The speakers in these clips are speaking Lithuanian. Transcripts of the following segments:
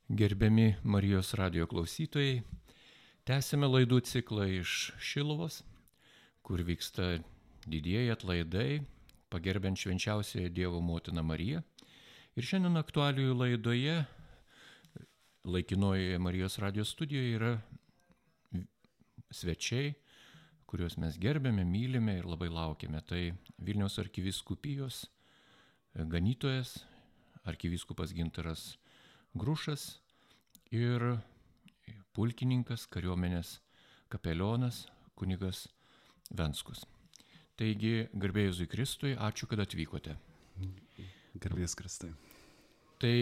Gerbiami Marijos radijo klausytojai, tęsime laidų ciklą iš Šiluvos, kur vyksta didieji atlaidai, pagerbiant švenčiausiąją Dievo motiną Mariją. Ir šiandien aktualijų laidoje, laikinojoje Marijos radijo studijoje yra svečiai, kuriuos mes gerbiame, mylime ir labai laukiame. Tai Vilniaus arkivyskupijos ganytojas, arkivyskupas Gintaras Grušas ir pulkininkas, kariuomenės kapelionas, kunigas Venskus. Taigi, garbė Jėzui Kristui, ačiū, kad atvykote. Garbės Kristai. Tai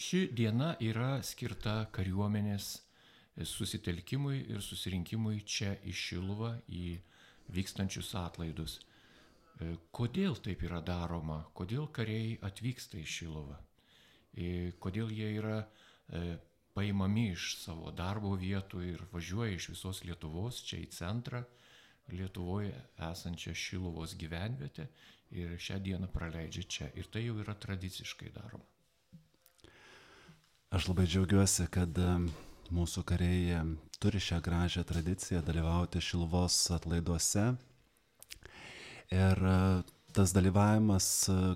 ši diena yra skirta kariuomenės susitelkimui ir susirinkimui čia į Šiluvą, į vykstančius atlaidus. Kodėl taip yra daroma? Kodėl kariai atvyksta į Šiluvą? Kodėl jie yra paimami iš savo darbo vietų ir važiuoja iš visos Lietuvos čia į centrą, Lietuvoje esančią Šiluvos gyvenvietę ir šią dieną praleidžia čia. Ir tai jau yra tradiciškai daroma. Aš labai džiaugiuosi, kad mūsų kariai turi šią gražią tradiciją dalyvauti Šiluvos atlaiduose. Ir tas dalyvavimas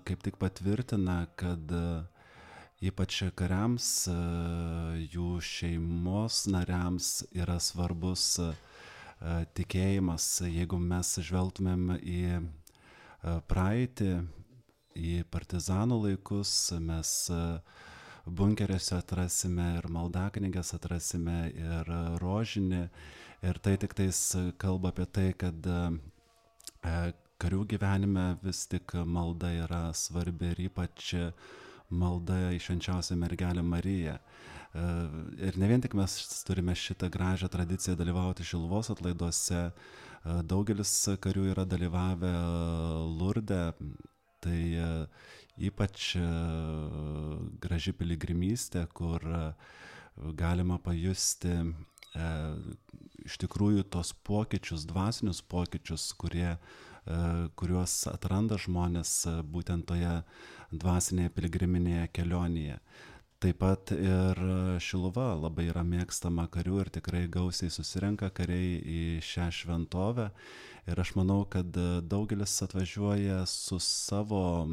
kaip tik patvirtina, kad ypač kariams, jų šeimos nariams yra svarbus tikėjimas. Jeigu mes žvelgtumėm į praeitį, į partizanų laikus, mes bunkeriuose atrasime ir maldaknyges atrasime ir rožinį. Ir tai tik tais kalba apie tai, kad karių gyvenime vis tik malda yra svarbi ir ypač malda į švenčiausią mergelę Mariją. Ir ne vien tik mes turime šitą gražią tradiciją dalyvauti Šiluvos atlaiduose, daugelis karių yra dalyvavę Lurde, tai ypač graži piligrimystė, kur galima pajusti iš tikrųjų tos pokyčius, dvasinius pokyčius, kuriuos atranda žmonės būtent toje dvasinėje piligriminėje kelionėje. Taip pat ir Šiluva labai yra mėgstama karių ir tikrai gausiai susirenka kariai į šią šventovę. Ir aš manau, kad daugelis atvažiuoja su savo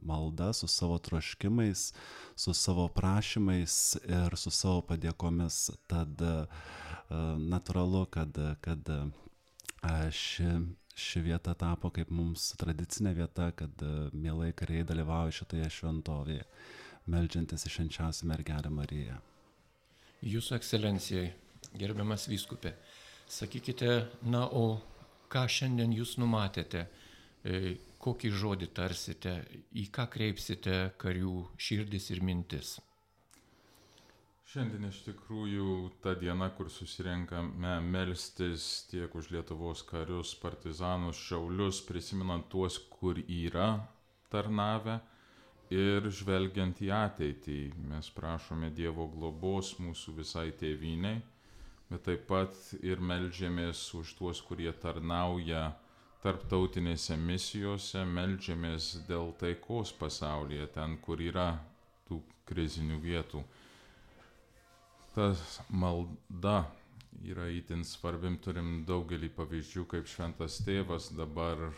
malda, su savo troškimais, su savo prašymais ir su savo padėkomis. Tad natūralu, kad ši vieta tapo kaip mums tradicinė vieta, kad mielai kariai dalyvauja šitoje šventovėje, meldžiantis į švenčiausią mergelę Mariją. Jūsų ekscelencijai, gerbiamas vyskupė, sakykite, o ką šiandien jūs numatėte, kokį žodį tarsite, į ką kreipsite karių širdis ir mintis? Šiandien iš tikrųjų ta diena, kur susirenkame melstis tiek už Lietuvos karius, partizanus, šaulius, prisimenant tuos, kur yra tarnavę ir žvelgiant į ateitį. Mes prašome Dievo globos mūsų visai tėvynei, bet taip pat ir meldžiamės už tuos, kurie tarnauja tarptautinėse misijose, meldžiamės dėl taikos pasaulyje, ten, kur yra tų krizinių vietų. Ta malda yra itin svarbim, turim daugelį pavyzdžių, kaip Šventas Tėvas dabar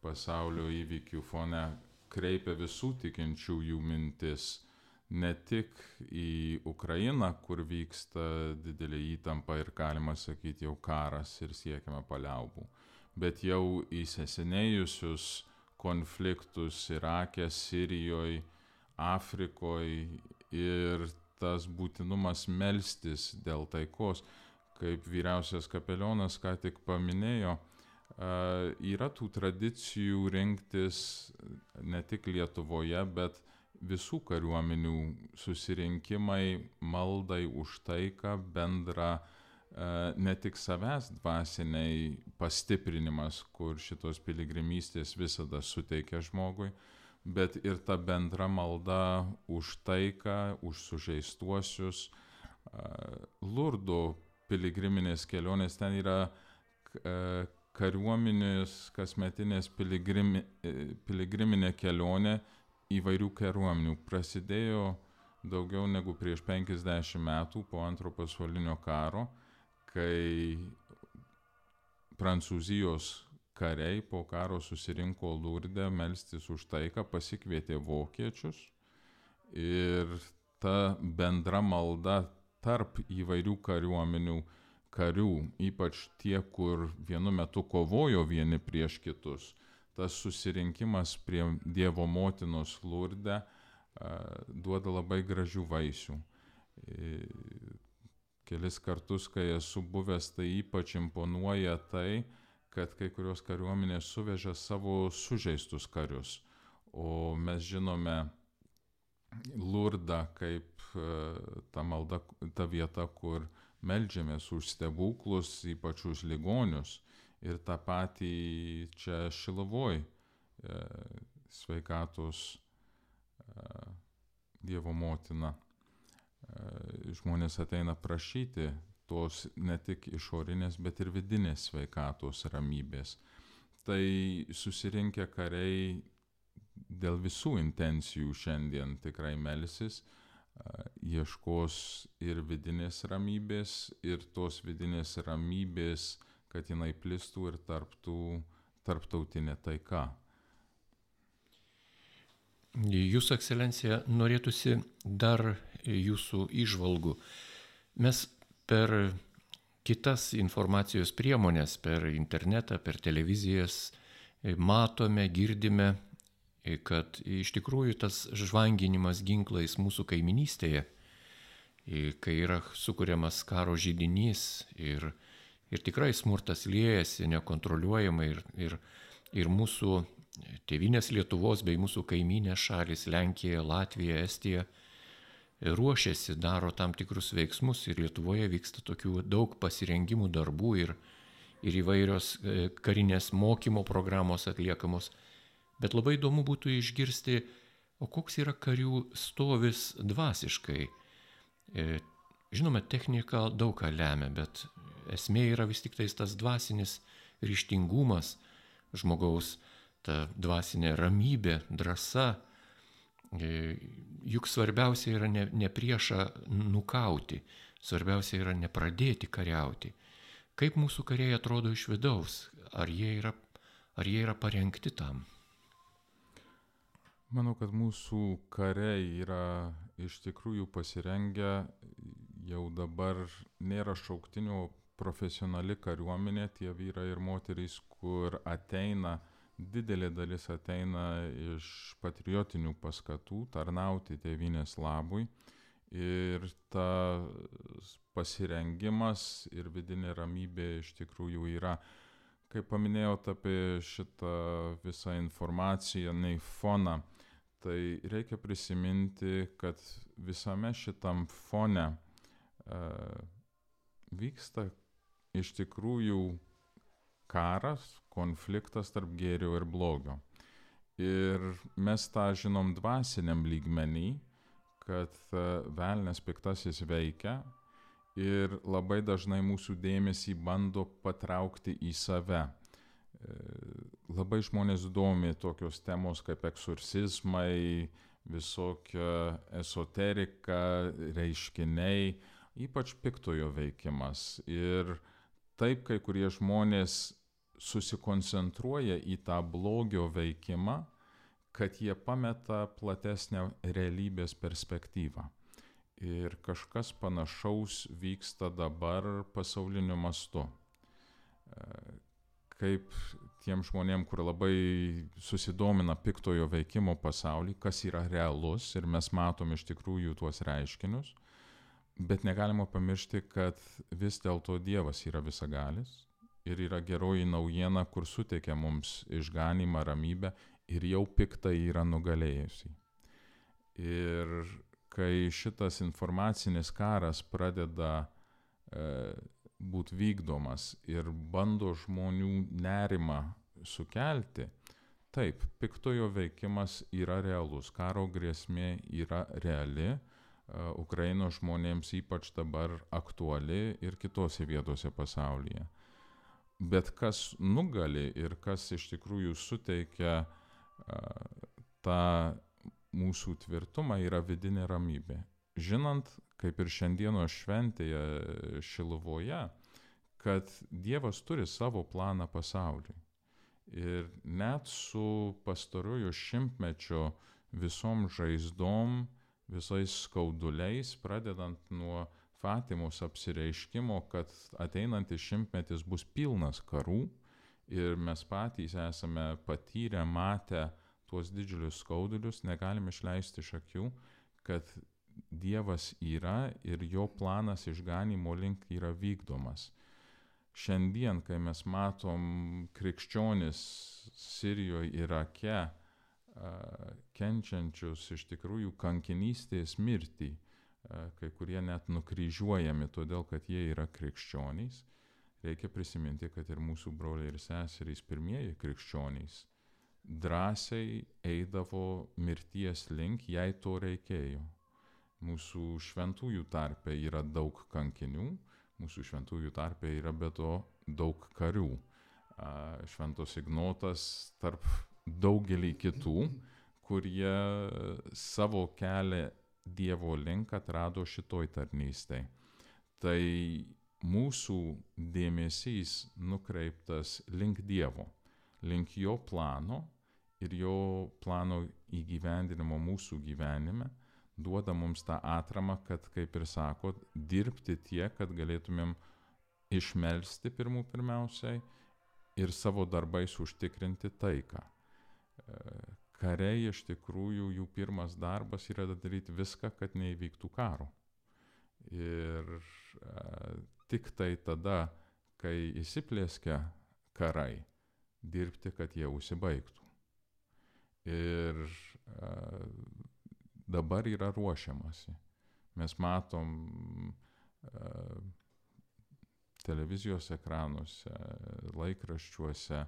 pasaulio įvykių fone kreipia visų tikinčiųjų mintis, ne tik į Ukrainą, kur vyksta didelė įtampa ir galima sakyti jau karas ir siekiama paliaubų, bet jau įsisenėjusius konfliktus Irake, Sirijoje, Afrikoje ir tas būtinumas melstis dėl taikos, kaip vyriausias kapelionas ką tik paminėjo, yra tų tradicijų rinktis ne tik Lietuvoje, bet visų kariuomenių susirinkimai, maldai už taiką, bendra ne tik savęs dvasiniai pastiprinimas, kur šitos piligrimystės visada suteikia žmogui, bet ir ta bendra malda už taiką, už sužeistuosius. Lurdo piligriminės kelionės, ten yra kariuomenės kasmetinės piligriminė kelionė įvairių kariuomenių. Prasidėjo daugiau negu prieš 50 metų po Antro pasaulinio karo, kai Prancūzijos kariai po karo susirinko Lurde melstis už taiką, pasikvietė vokiečius ir ta bendra malda tarp įvairių kariuomenių karių, ypač tie, kur vienu metu kovojo vieni prieš kitus, tas susirinkimas prie Dievo motinos Lurde duoda labai gražių vaisių. Kelis kartus, kai esu buvęs, tai ypač imponuoja tai, kad kai kurios kariuomenės suveža savo sužeistus karius. O mes žinome Lurdą kaip ta vieta, kur meldžiamės už stebuklus, ypač už ligonius. Ir tą patį čia Šiluvoj sveikatos Dievo motina. Žmonės ateina prašyti tos ne tik išorinės, bet ir vidinės sveikatos ramybės. Tai susirinkę kariai dėl visų intencijų šiandien tikrai melsis, ieškos ir vidinės ramybės, ir tos vidinės ramybės, kad jinai plistų ir tarptautinė taika. Jūsų ekscelencija, norėtųsi dar jūsų įžvalgų. Mes per kitas informacijos priemonės, per internetą, per televizijas matome, girdime, kad iš tikrųjų tas žvanginimas ginklais mūsų kaiminystėje, kai yra sukuriamas karo židinys ir tikrai smurtas liejasi nekontroliuojamai ir mūsų tėvynės Lietuvos bei mūsų kaiminės šalys Lenkija, Latvija, Estija ruošiasi, daro tam tikrus veiksmus ir Lietuvoje vyksta tokių daug pasirengimų darbų ir įvairios karinės mokymo programos atliekamos. Bet labai įdomu būtų išgirsti, o koks yra karių stovis dvasiškai. Žinoma, technika daug ką lemia, bet esmė yra vis tik tas dvasinis ryžtingumas žmogaus, ta dvasinė ramybė, drąsa. Juk svarbiausia yra ne priešą nukauti, svarbiausia yra nepradėti kariauti. Kaip mūsų kariai atrodo iš vidaus? Ar jie yra parengti tam? Manau, kad mūsų kariai yra iš tikrųjų pasirengę, jau dabar nėra šauktinių, profesionali kariuomenė, tie vyrai ir moterys, kur ateina, didelė dalis ateina iš patriotinių paskatų, tarnauti tėvynės labui. Ir tas pasirengimas ir vidinė ramybė iš tikrųjų yra. Kaip paminėjau apie šitą visą informaciją, foną, tai reikia prisiminti, kad visame šitam fone vyksta iš tikrųjų karas, konfliktas tarp gėrio ir blogio. Ir mes tą žinom dvasiniam lygmenį, kad velnias piktasis veikia ir labai dažnai mūsų dėmesį bando patraukti į save. Labai žmonės domi tokios temos kaip eksorcizmai, visokia esoterika, reiškiniai, ypač piktojo veikimas. Ir taip kai kurie žmonės susikoncentruoja į tą blogio veikimą, kad jie pameta platesnę realybės perspektyvą. Ir kažkas panašaus vyksta dabar pasauliniu mastu. Kaip tiem žmonėm, kur labai susidomina piktojo veikimo pasaulį, kas yra realus ir mes matom iš tikrųjų tuos reiškinius, bet negalima pamiršti, kad vis dėlto Dievas yra visagalis ir yra geroji naujiena, kur suteikia mums išganymą, ramybę ir jau piktai yra nugalėjusi. Ir kai šitas informacinis karas pradeda būti vykdomas ir bando žmonių nerimą sukelti, taip, piktojo veikimas yra realus, karo grėsmė yra reali, Ukrainos žmonėms ypač dabar aktuali ir kitose vietose pasaulyje. Bet kas nugali ir kas iš tikrųjų suteikia tą mūsų tvirtumą, yra vidinė ramybė. žinant, kaip ir šiandienos šventėje Šiluvoje, kad Dievas turi savo planą pasauliui. Ir net su pastaruoju šimtmečio visom žaizdom, visais skauduliais, pradedant nuo Fatimos apsireiškimo, kad ateinantis šimtmetis bus pilnas karų ir mes patys esame patyrę, matę tuos didžiulius skaudulius, negalime išleisti iš akių, kad Dievas yra ir jo planas išganimo link yra vykdomas. Šiandien, kai mes matom krikščionis Sirijoje, Irake, kenčiančius iš tikrųjų kankinystės mirtį, kai kurie net nukryžiuojami todėl, kad jie yra krikščionys, reikia prisiminti, kad ir mūsų broliai ir seserys, pirmieji krikščionys, drąsiai eidavo mirties link, jei to reikėjo. Mūsų šventųjų tarpe yra daug kankinių, mūsų šventųjų tarpe yra be to daug karių. Šventos Ignotas tarp daugelį kitų, kurie savo kelią Dievo link atrado šitoj tarnystėj. Tai mūsų dėmesys nukreiptas link Dievo, link jo plano ir jo plano įgyvendinimo mūsų gyvenime, duoda mums tą atramą, kad, kaip ir sako, dirbti tiek, kad galėtumėm išmelsti pirmiausiai ir savo darbais užtikrinti taiką. Kariai iš tikrųjų jų pirmas darbas yra daryti viską, kad neįvyktų karo. Ir tik tai tada, kai įsiplėskia karai, dirbti, kad jie užsibaigtų. Ir dabar yra ruošiamasi. Mes matom televizijos ekranuose, laikraščiuose,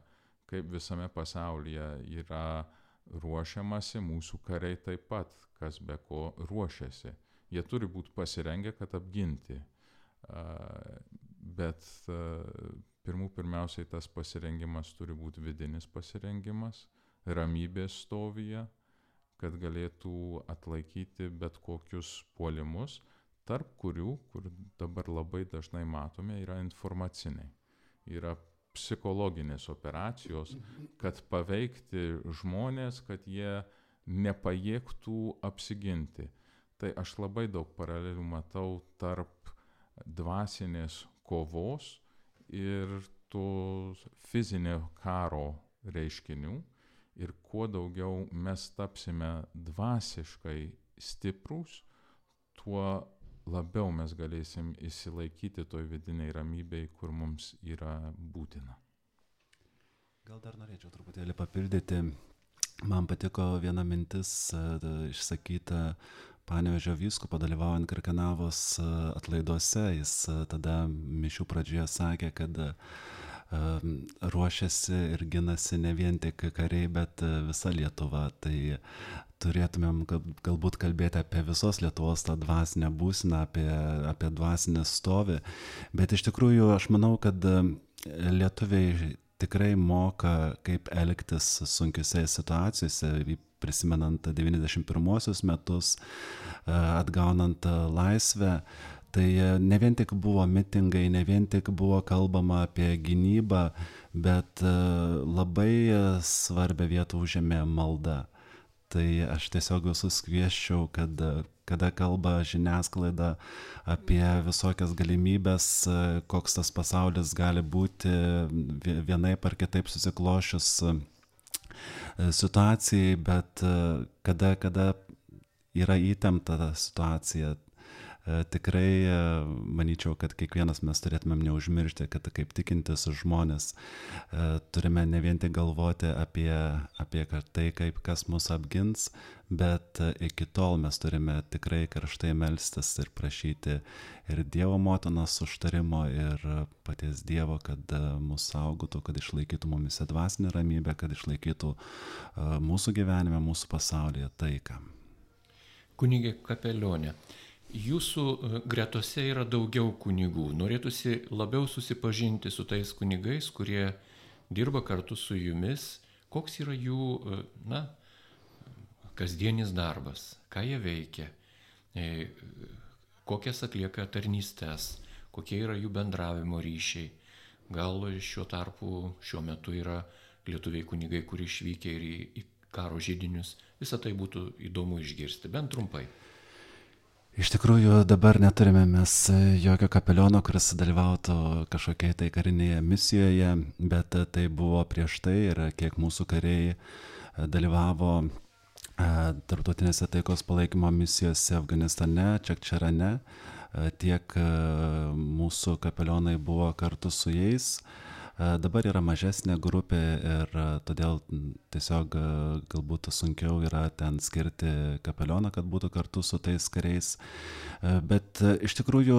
kaip visame pasaulyje yra ruošiamasi, mūsų kariai taip pat, kas be ko ruošiasi. Jie turi būti pasirengę, kad apginti. Bet pirmiausiai tas pasirengimas turi būti vidinis pasirengimas, ramybės stovyje, kad galėtų atlaikyti bet kokius puolimus, tarp kurių, kur dabar labai dažnai matome, yra informaciniai. Yra psichologinės operacijos, kad paveikti žmonės, kad jie nepajėgtų apsiginti. Tai aš labai daug paralelių matau tarp dvasinės kovos ir to fizinio karo reiškinių. Ir kuo daugiau mes tapsime dvasiškai stiprūs, tuo labiau mes galėsim išsilaikyti toj vidiniai ramybei, kur mums yra būtina. Gal dar norėčiau truputėlį papildyti. Man patiko viena mintis išsakyta Panevėžio vyskupo dalyvaujant Kirkenavos atlaiduose. Jis tada mišių pradžioje sakė, kad ruošiasi ir ginasi ne vien tik kariai, bet visa Lietuva. Tai turėtumėm galbūt kalbėti apie visos Lietuvos tą dvasinę būseną, apie dvasinę stovį. Bet iš tikrųjų aš manau, kad lietuviai tikrai moka, kaip elgtis sunkiose situacijose, prisimenant 91 metus, atgaunant laisvę. Tai ne vien tik buvo mitingai, ne vien tik buvo kalbama apie gynybą, bet labai svarbią vietą užėmė malda. Tai aš tiesiog visus kviesčiau, kad kada kalba žiniasklaida apie visokias galimybės, koks tas pasaulis gali būti vienaip ar kitaip susiklošius situacijai, bet kada yra įtempta situacija, tikrai manyčiau, kad kiekvienas mes turėtumėm neužmiršti, kad kaip tikintis žmonės turime ne vien tik galvoti apie tai, kaip kas mus apgins, bet iki tol mes turime tikrai karštai melstis ir prašyti ir Dievo motinos užtarimo, ir paties Dievo, kad mus saugotų, kad išlaikytų mumise dvasinę ramybę, kad išlaikytų mūsų gyvenime, mūsų pasaulyje taiką. Kunigė Kapelionė, jūsų gretose yra daugiau kunigų. Norėtųsi labiau susipažinti su tais kunigais, kurie dirba kartu su jumis. Koks yra jų, kasdienis darbas, ką jie veikia. kokias atlieka tarnystes, kokie yra jų bendravimo ryšiai. Gal šiuo metu yra lietuviai kunigai, kurie išvykę ir į karo židinius. Visą tai būtų įdomu išgirsti, bent trumpai. Iš tikrųjų, dabar neturime mes jokio kapeliono, kuris dalyvautų kažkokiai tai karinėje misijoje, bet tai buvo prieš tai ir kiek mūsų kariai dalyvavo tarptautinėse taikos palaikymo misijose Afganistane, Čekčerane, tiek mūsų kapelionai buvo kartu su jais. Dabar yra mažesnė grupė ir todėl tiesiog galbūt sunkiau yra ten skirti kapelioną, kad būtų kartu su tais kariais. Bet iš tikrųjų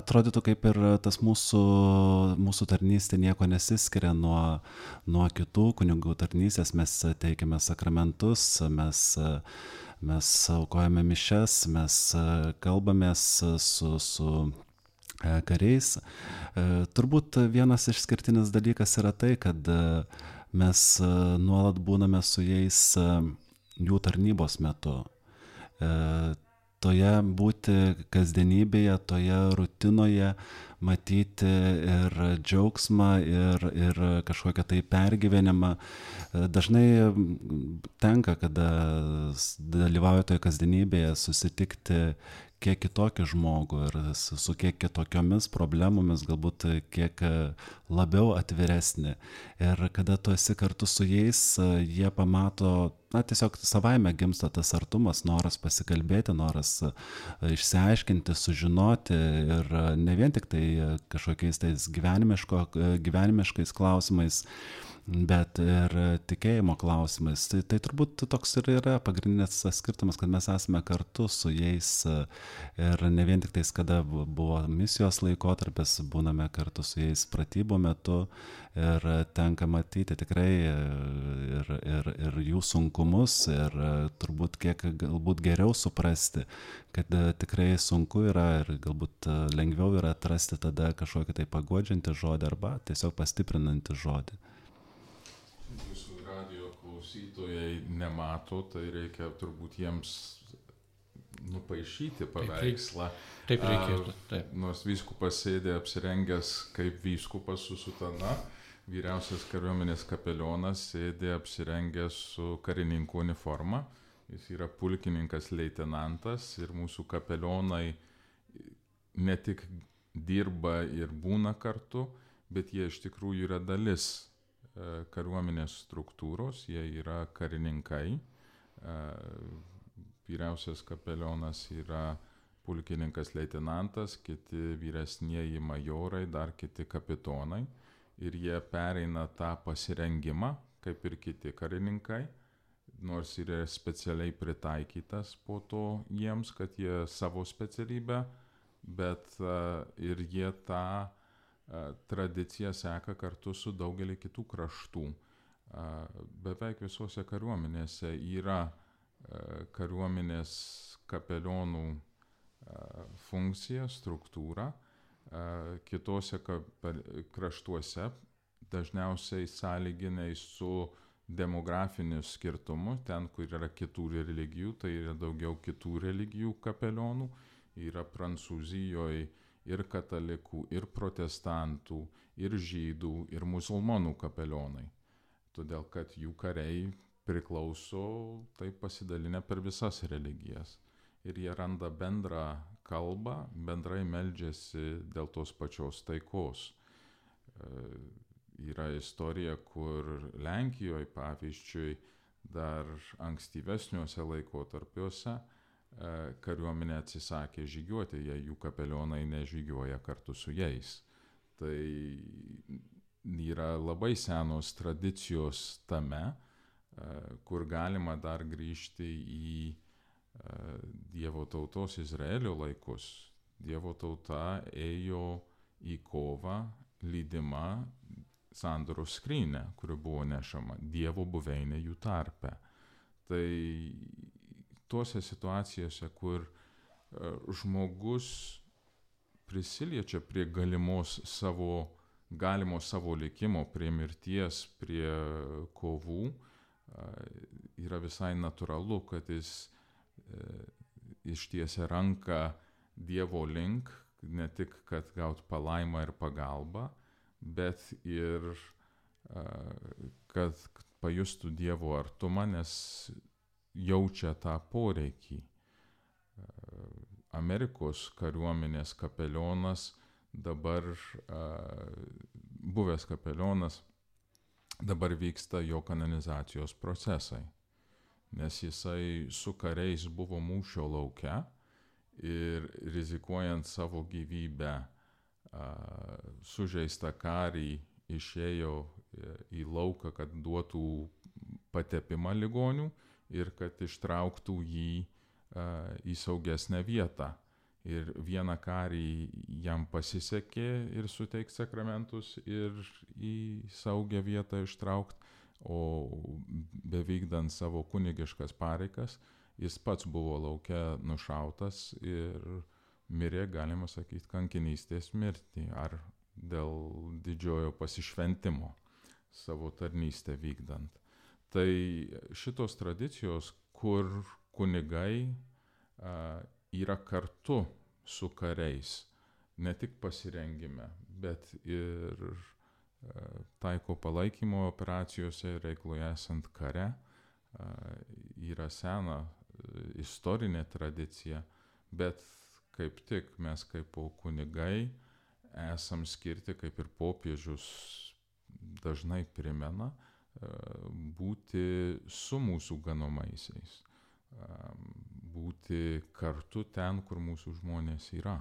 atrodytų kaip ir tas mūsų tarnystė nieko nesiskiria nuo kitų kunigų tarnystės. Mes teikiame sakramentus, mes aukojame mišias, mes kalbamės su kariais. Turbūt vienas išskirtinis dalykas yra tai, kad mes nuolat būname su jais jų tarnybos metu. Toje būti kasdienybėje, toje rutinoje, matyti ir džiaugsmą, ir kažkokią tai pergyvenimą. Dažnai tenka, kada dalyvauja toje kasdienybėje, susitikti kiek kitokį žmogų ir su kiek kitokiomis problemomis, galbūt kiek labiau atviresnį. Ir kada tu esi kartu su jais, jie pamato, tiesiog savaime gimsta tas artumas, noras pasikalbėti, noras išsiaiškinti, sužinoti ir ne vien tik tai kažkokiais tais gyvenimiškais klausimais, bet ir tikėjimo klausimais. Tai turbūt toks ir yra pagrindinis skirtumas, kad mes esame kartu su jais ir ne vien tik tais, kada buvo misijos laikotarpis, būname kartu su jais pratybų metu ir tenka matyti tikrai ir jų sunkumus ir turbūt kiek galbūt geriau suprasti, kad tikrai sunku yra ir galbūt lengviau yra atrasti tada kažkokį tai paguodžiantį žodį arba tiesiog pastiprinantį žodį. Jūsų radijo klausytojai nemato, tai reikia turbūt jiems nupaišyti paveikslą. Taip reikėtų. Taip. Nors vyskupas sėdė apsirengęs kaip vyskupas su sutana, vyriausias kariuomenės kapelionas sėdė apsirengęs su karininko uniforma. Jis yra pulkininkas leitenantas ir mūsų kapelionai ne tik dirba ir būna kartu, bet jie iš tikrųjų yra dalis kariuomenės struktūros, jie yra karininkai. Vyriausias kapelionas yra pulkininkas leitenantas, kiti vyresnieji majorai, dar kiti kapitonai. Ir jie pereina tą pasirengimą, kaip ir kiti karininkai, nors yra specialiai pritaikytas po to jiems, kad jie savo specialybę, bet ir jie tą tradicija seka kartu su daugelį kitų kraštų. Beveik visose kariuomenėse yra kariuomenės kapelionų funkcija, struktūra. Kitose kraštuose dažniausiai sąlyginai su demografiniu skirtumu, ten, kur yra kitų religijų, tai yra daugiau kitų religijų kapelionų, yra Prancūzijoje ir katalikų, ir protestantų, ir žydų, ir musulmonų kapelionai. Todėl, kad jų kariai priklauso taip pasidalinę per visas religijas. Ir jie randa bendrą kalbą, bendrai meldžiasi dėl tos pačios taikos. Yra istorija, kur Lenkijoje, pavyzdžiui, dar ankstyvesniuose laikotarpiuose kariuomenė atsisakė žygiuoti, jei jų kapelionai nežygiuoja kartu su jais. Tai yra labai senos tradicijos tame, kur galima dar grįžti į Dievo tautos Izraelio laikus. Dievo tauta ėjo į kovą lydima sandoros skrynia, kuri buvo nešama, Dievo buveinė jų tarpe. Tai tuose situacijose, kur žmogus prisiliečia prie galimo savo likimo, prie mirties, prie kovų, yra visai natūralu, kad jis ištiesia ranką Dievo link, ne tik, kad gaut palaimą ir pagalbą, bet ir kad pajustų Dievo artumą, nes jaučia tą poreikį. Amerikos kariuomenės kapelionas, dabar buvęs kapelionas, dabar vyksta jo kanonizacijos procesai, nes jisai su kariais buvo mūšio lauke ir rizikuojant savo gyvybę sužeistą karį išėjo į lauką, kad duotų patepimą ligonių ir kad ištrauktų jį į saugesnę vietą. Ir vieną karį jam pasisekė ir suteikti sakramentus ir į saugią vietą ištraukti, o bevykdant savo kunigiškas pareigas, jis pats buvo lauke nušautas ir mirė, galima sakyti, kankinystės mirtį ar dėl didžiojo pasišventimo savo tarnystę vykdant. Tai šitos tradicijos, kur kunigai yra kartu su kariais, ne tik pasirengime, bet ir taiko palaikymo operacijose reikalui esant kare, yra sena istorinė tradicija, bet kaip tik mes kaip kunigai esam skirti, kaip ir popiežius dažnai primena, būti su mūsų ganomaisiais, būti kartu ten, kur mūsų žmonės yra.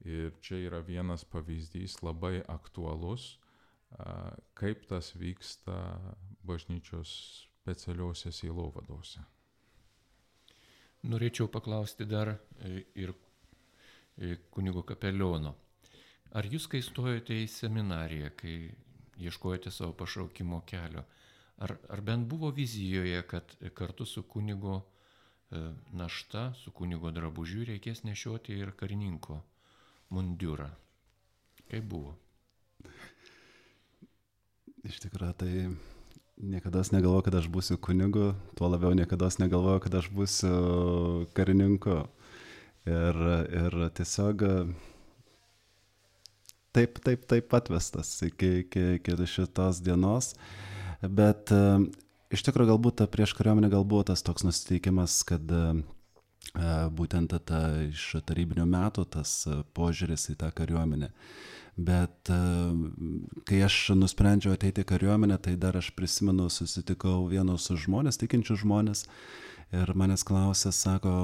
Ir čia yra vienas pavyzdys labai aktualus, kaip tas vyksta bažnyčios specialiuose sielovadose. Norėčiau paklausti dar ir kunigo kapeliono. Ar jūs, kai stojote į seminariją, kai ieškojate savo pašaukimo kelio, ar bent buvo vizijoje, kad kartu su kunigo našta, su kunigo drabužiu reikės nešioti ir karininko mundiurą? Kaip buvo? Iš tikrųjų, tai niekada negalvojau, kad aš būsiu kunigu, tuo labiau niekada negalvojau, kad aš būsiu karininku. Ir tiesiog taip atvestas iki šitos dienos. Bet iš tikrųjų galbūt prieš kariuomenę buvo tas toks nusiteikimas, kad būtent iš tarybinių metų tas požiūris į tą kariuomenę. Bet kai aš nusprendžiau ateiti į kariuomenę, tai dar aš prisimenu, susitikau vienus žmonės, tikinčius žmonės, ir manęs klausė, sako,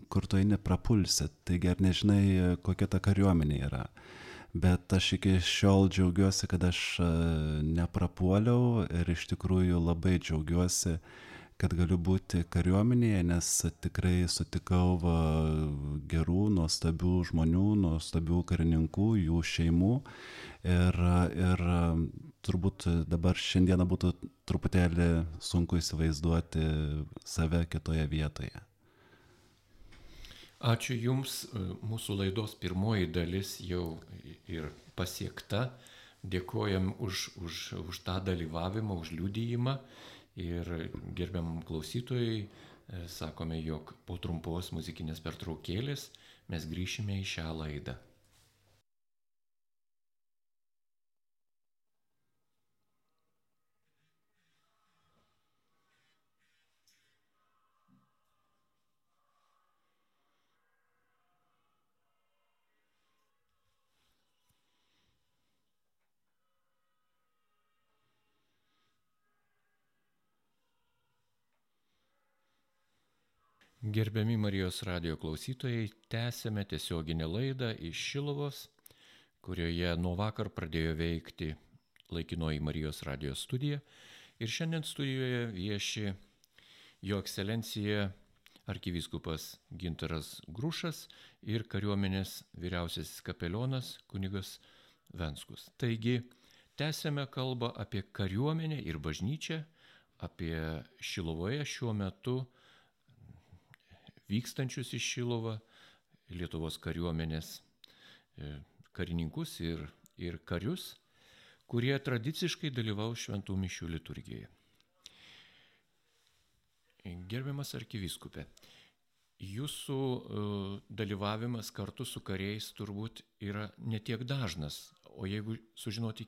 kur tu eini prapulsi, taigi ar nežinai, kokia ta kariuomenė yra. Bet aš iki šiol džiaugiuosi, kad aš neprapuoliau ir iš tikrųjų labai džiaugiuosi, kad galiu būti kariuomenėje, nes tikrai sutikau gerų, nuostabių žmonių, nuostabių karininkų, jų šeimų. Ir turbūt dabar šiandieną būtų truputėlį sunku įsivaizduoti save kitoje vietoje. Ačiū Jums, mūsų laidos pirmoji dalis jau ir pasiekta. Dėkojam už tą dalyvavimą, už liudijimą. Ir gerbiamam klausytojai, sakome, jog po trumpos muzikinės pertraukėlės mes grįšime į šią laidą. Gerbiami Marijos radijo klausytojai, tęsėme tiesioginę laidą iš Šiluvos, kurioje nuo vakar pradėjo veikti laikinoji Marijos radijo studija. Ir šiandien studijoje vieši Jo ekscelencija arkivyskupas Gintaras Grušas ir kariuomenės vyriausiasis kapelionas kunigas Venskus. Taigi, tęsėme kalbą apie kariuomenę ir bažnyčią, apie Šiluvoje šiuo metu vykstančius iš Šiluvą Lietuvos kariuomenės karininkus ir karius, kurie tradiciškai dalyvaus šventų mišių liturgijoje. Gerbiamas arkivyskupe, jūsų dalyvavimas kartu su kariais turbūt yra netiek dažnas, o jeigu sužinoti,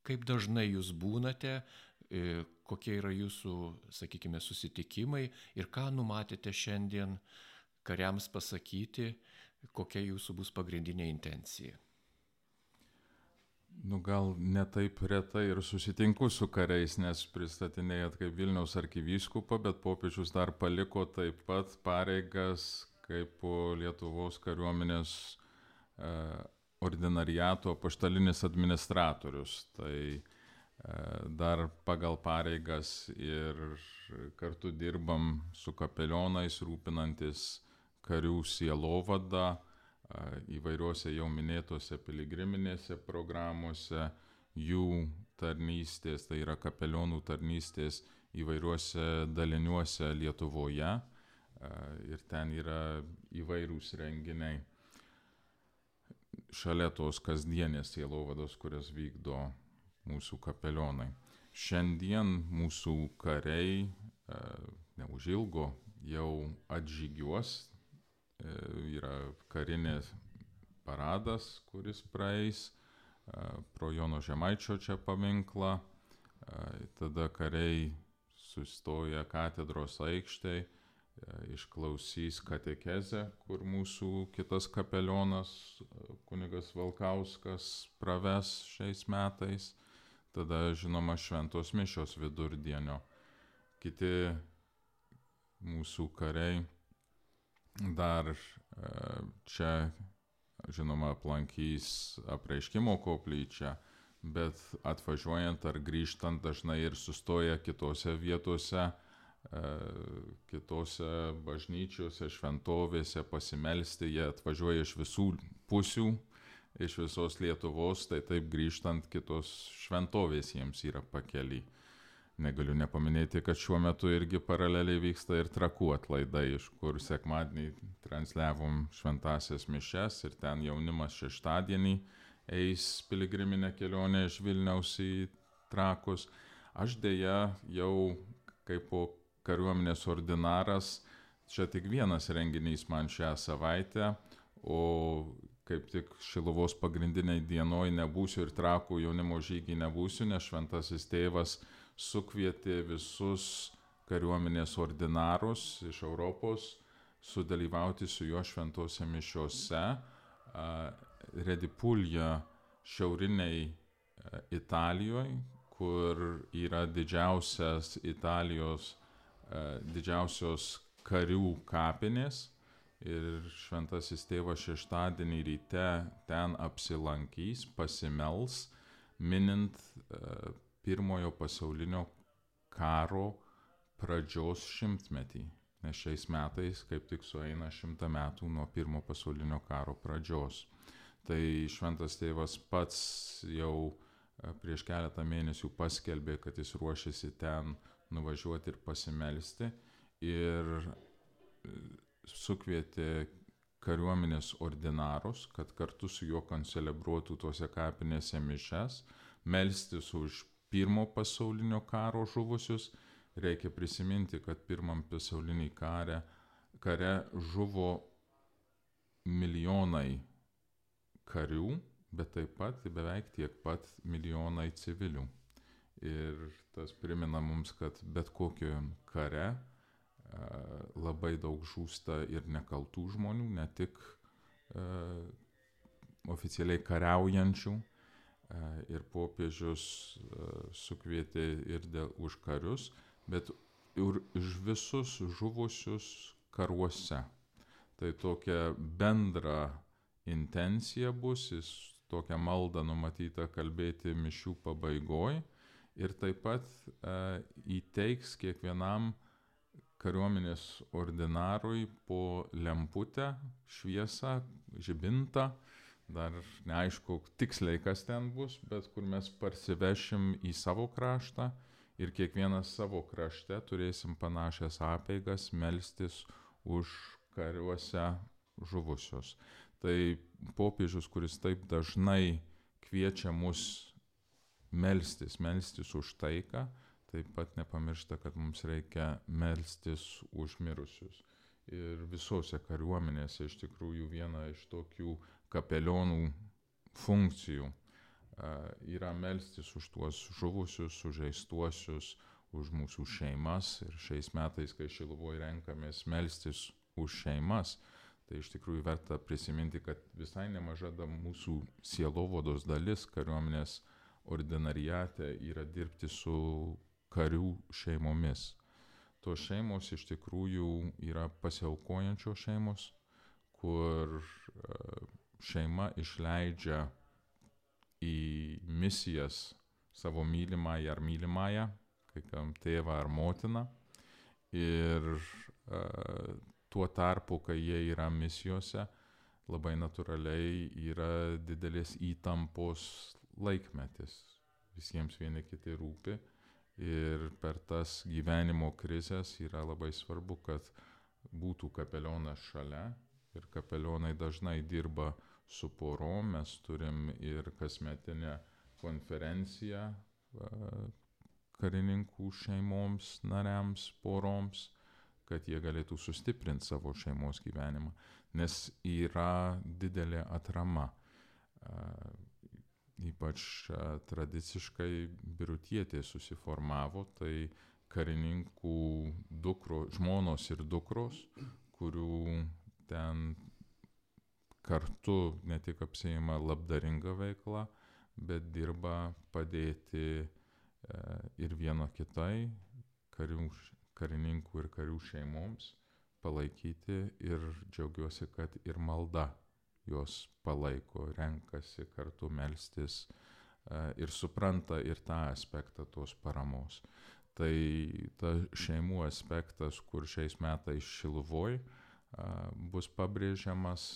kaip dažnai jūs būnate, kokie yra jūsų, sakykime, susitikimai ir ką numatėte šiandien kariams pasakyti, kokia jūsų bus pagrindinė intencija. Gal ne taip retai ir susitinku su kariais, nes pristatinėjat kaip Vilniaus arkivyskupą, bet popiežius dar paliko taip pat pareigas kaip Lietuvos kariuomenės ordinariato apaštalinis administratorius. Tai dar pagal pareigas ir kartu dirbam su kapelionais, rūpinantis karių sielovadą, įvairiuose jau minėtose piligriminėse programuose, jų tarnystės, tai yra kapelionų tarnystės įvairiuose daliniuose Lietuvoje, ir ten yra įvairūs renginiai šalia tos kasdienės sielovados, kurias vykdo mūsų kapelionai. Šiandien mūsų kariai neužilgo jau atžygiuos. Yra karinės paradas, kuris praeis pro Jono Žemaičio čia paminklą. Tada kariai sustoja katedros aikštėj, išklausys katekezę, kur mūsų kitas kapelionas, kunigas Valkauskas, praves šiais metais. Tada, žinoma, šventos mišios vidurdienio. Kiti mūsų kariai dar čia, žinoma, aplankys Apreiškimo koplyčią, bet atvažiuojant ar grįžtant dažnai ir sustoja kitose vietose, kitose bažnyčiose, šventovėse pasimelsti. Jie atvažiuoja iš visų pusių, iš visos Lietuvos, tai taip grįžtant kitos šventovės jiems yra pakely. Negaliu nepaminėti, kad šiuo metu irgi paraleliai vyksta ir Trakų atlaidai, iš kur sekmadienį transliavom šventasias mišias ir ten jaunimas šeštadienį eis piligriminę kelionę iš Vilniaus į Trakus. Aš dėja jau kaip kariuomenės ordinaras, čia tik vienas renginys man šią savaitę, o kaip tik Šiluvos pagrindiniai dienoj nebūsiu ir Trakų jaunimo žygį nebūsiu, nes šventasis tėvas sukvietė visus kariuomenės ordinarus iš Europos sudalyvauti su juo šventose mišiose. Redipulja šiauriniai Italijoje, kur yra didžiausios karių kapinės. Ir šventasis tėvas šeštadienį ryte ten apsilankys, pasimels, minint Pirmojo pasaulinio karo pradžios 100-metį, nes šiais metais kaip tik sueina 100 metų nuo Pirmo pasaulinio karo pradžios. Tai šventas tėvas pats jau prieš keletą mėnesių paskelbė, kad jis ruošiasi ten nuvažiuoti ir pasimelsti, ir sukvietė kariuomenės ordinarus, kad kartu su juo koncelebruotų tuose kapinėse mišias, melstis už Pirmo pasaulinio karo žuvusius. Reikia prisiminti, kad Pirmam pasauliniai kare žuvo milijonai karių, bet taip pat beveik tiek pat milijonai civilių. Ir tas primena mums, kad bet kokiam kare labai daug žūsta ir nekaltų žmonių, ne tik oficialiai kariaujančių. Ir popiežius sukvietė ir už karius, bet ir už visus žuvusius karuose. Tai tokia bendra intencija bus, tokia malda numatyta kalbėti mišių pabaigoj, ir taip pat įteiks kiekvienam kariuomenės ordinarui po lemputę, šviesą, žibintą. Dar neaišku tiksliai, kas ten bus, bet kur mes parsivešim į savo kraštą ir kiekvienas savo krašte turėsim panašias apeigas melstis už kariuose žuvusius. Tai popiežius, kuris taip dažnai kviečia mus melstis už taiką, taip pat nepamiršta, kad mums reikia melstis už mirusius. ir visose kariuomenėse iš tikrųjų viena iš tokių kapelionų funkcijų yra melstis už tuos žuvusius, sužeistuosius, už mūsų šeimas. Ir šiais metais, kai Šiluvoje renkamės melstis už šeimas, tai iš tikrųjų verta prisiminti, kad visai nemaža mūsų sielovados dalis kariuomenės ordinariate yra dirbti su karių šeimomis. Tos šeimos iš tikrųjų yra pasiaukojančios šeimos, kur šeima išleidžia į misijas savo mylimąją ar mylimąją, kai kam tėvą ar motiną. Ir tuo tarpu, kai jie yra misijose, labai natūraliai yra didelės įtampos laikmetis. Visiems vieni kiti rūpi. Ir per tas gyvenimo krizės yra labai svarbu, kad būtų kapelionas šalia. Ir kapelionai dažnai dirba su porom. Mes turim ir kasmetinę konferenciją karininkų šeimoms, nariams, poroms, kad jie galėtų sustiprinti savo šeimos gyvenimą. Nes yra didelė atrama. Ypač tradiciškai birutietė susiformavo, tai karininkų žmonos ir dukros, kurių ten kartu ne tik apsiima labdaringa veikla, bet dirba padėti ir vieno kitai, karininkų ir karių šeimoms palaikyti, ir džiaugiuosi, kad ir malda jos palaiko, renkasi kartu melstis ir supranta ir tą aspektą tos paramos. Tai ta šeimų aspektas, kur šiais metais Šiluvoj bus pabrėžiamas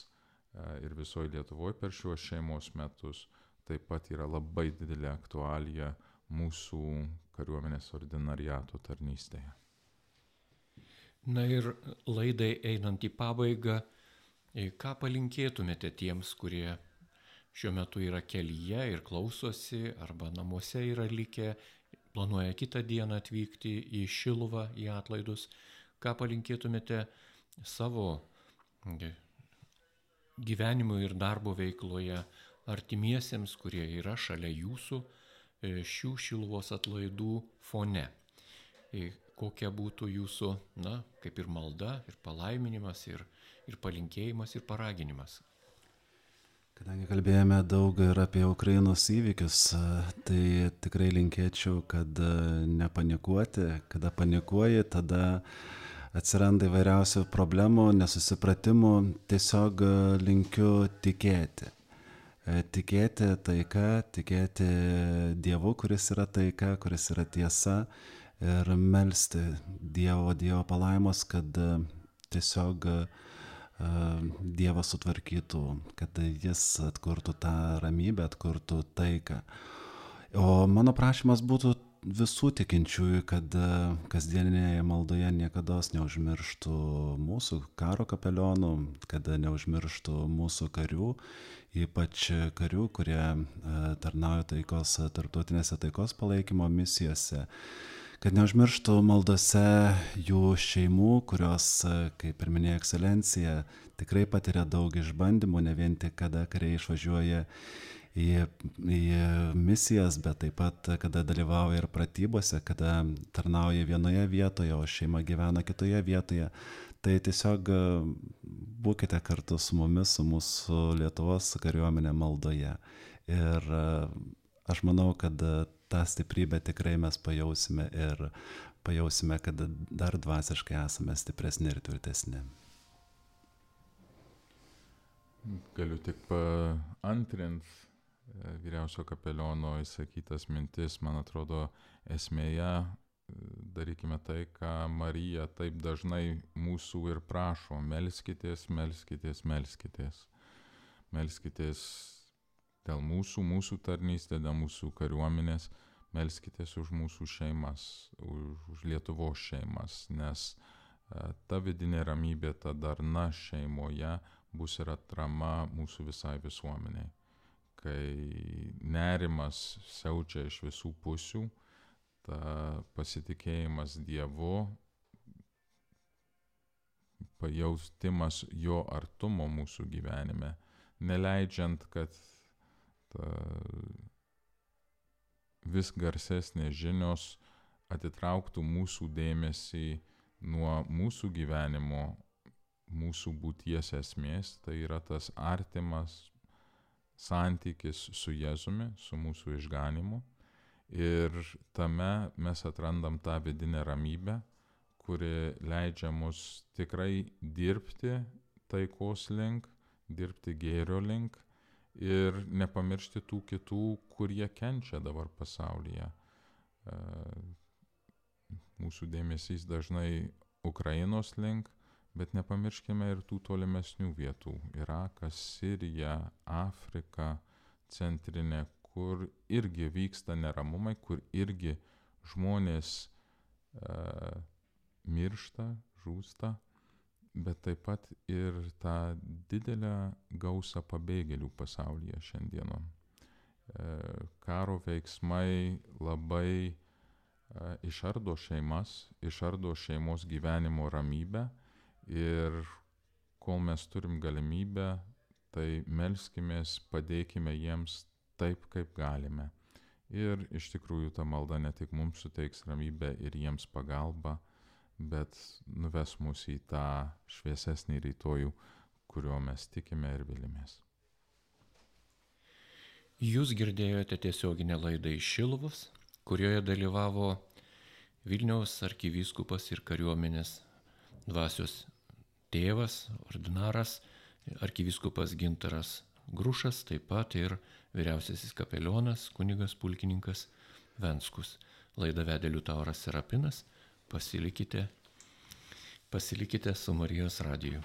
ir visoje Lietuvoje per šiuos šeimos metus, taip pat yra labai didelė aktualija mūsų kariuomenės ordinariato tarnystėje. Na ir laidai einant į pabaigą, ką palinkėtumėte tiems, kurie šiuo metu yra kelyje ir klausosi, arba namuose yra likę, planuoja kitą dieną atvykti į Šiluvą, į atlaidus, ką palinkėtumėte savo gyvenimo ir darbo veikloje artimiesiems, kurie yra šalia jūsų šių Šiluvos atlaidų fone? Kokia būtų jūsų, kaip ir malda, ir palaiminimas, ir palinkėjimas, ir paraginimas? Kadangi kalbėjome daug ir apie Ukrainos įvykius, tai tikrai linkėčiau, kad nepanikuoti. Kada panikuoji, tada atsiranda įvairiausių problemų, nesusipratimų. Tiesiog linkiu tikėti. Tikėti taika, tikėti Dievu, kuris yra taika, kuris yra tiesa. Ir melsti Dievo palaimos, kad tiesiog Dievas sutvarkytų, kad Jis atkurtų tą ramybę, atkurtų taiką. O mano prašymas būtų visų tikinčiųjų, kad kasdieninėje maldoje niekados neužmirštų mūsų karo kapelionų, kad neužmirštų mūsų karių, ypač karių, kurie tarnauja tarptautinėse taikos palaikymo misijose. Kad neužmirštų maldose jų šeimų, kurios, kaip ir minėjo ekscelencija, tikrai patiria daug išbandymų, ne vien tik kada kariai išvažiuoja į misijas, bet taip pat kada dalyvauja ir pratybose, kada tarnauja vienoje vietoje, o šeima gyvena kitoje vietoje. Tai tiesiog būkite kartu su mumis, su mūsų Lietuvos kariuomenė maldoje. Ir aš manau, kad tą stiprybę tikrai mes pajausime ir pajausime, kad dar dvasiškai esame stipresni ir tvirtesni. Galiu tik paantrint vyriausio kapeliono įsakytas mintis. Man atrodo, esmėje darykime tai, ką Marija taip dažnai mūsų ir prašo. Melskitės, melskitės, melskitės. Melskitės dėl mūsų tarnystė, dėl mūsų kariuomenės, melskitės už mūsų šeimas, už Lietuvos šeimas, nes ta vidinė ramybė, ta darna šeimoje bus ir atrama mūsų visai visuomeniai. Kai nerimas siaučia iš visų pusių, ta pasitikėjimas Dievu pajaustimas jo artumo mūsų gyvenime, neleidžiant, kad vis garsesnės žinios atitrauktų mūsų dėmesį nuo mūsų gyvenimo, mūsų būties esmės, tai yra tas artimas santykis su Jėzumi, su mūsų išganymu. Ir tame mes atrandam tą vidinę ramybę, kuri leidžia mus tikrai dirbti taikos link, dirbti gėrio link ir nepamiršti tų kitų, kurie kenčia dabar pasaulyje. Mūsų dėmesys dažnai Ukrainos link, bet nepamirškime ir tų tolimesnių vietų. Irakas, Sirija, Afrika, centrinė, kur irgi vyksta neramumai, kur irgi žmonės miršta, žūsta, bet taip pat ir tą didelę gausą pabėgėlių pasaulyje šiandieną. Karo veiksmai labai išardo šeimas, išardo šeimos gyvenimo ramybę ir kol mes turim galimybę, tai melskimės, padėkime jiems taip, kaip galime. Ir iš tikrųjų ta malda ne tik mums suteiks ramybę ir jiems pagalbą, bet nuves mus į tą šviesesnį rytojų, kurio mes tikime ir vilimės. Jūs girdėjote tiesioginę laidą iš Šiluvos, kurioje dalyvavo Vilniaus arkivyskupas ir kariuomenės dvasios tėvas, ordinaras, arkivyskupas Gintaras Grušas, taip pat ir vyriausiasis kapelionas, kunigas pulkininkas Venskus. Laidą vedė Liutauras Serapinas. Pasilikite su Marijos radiju.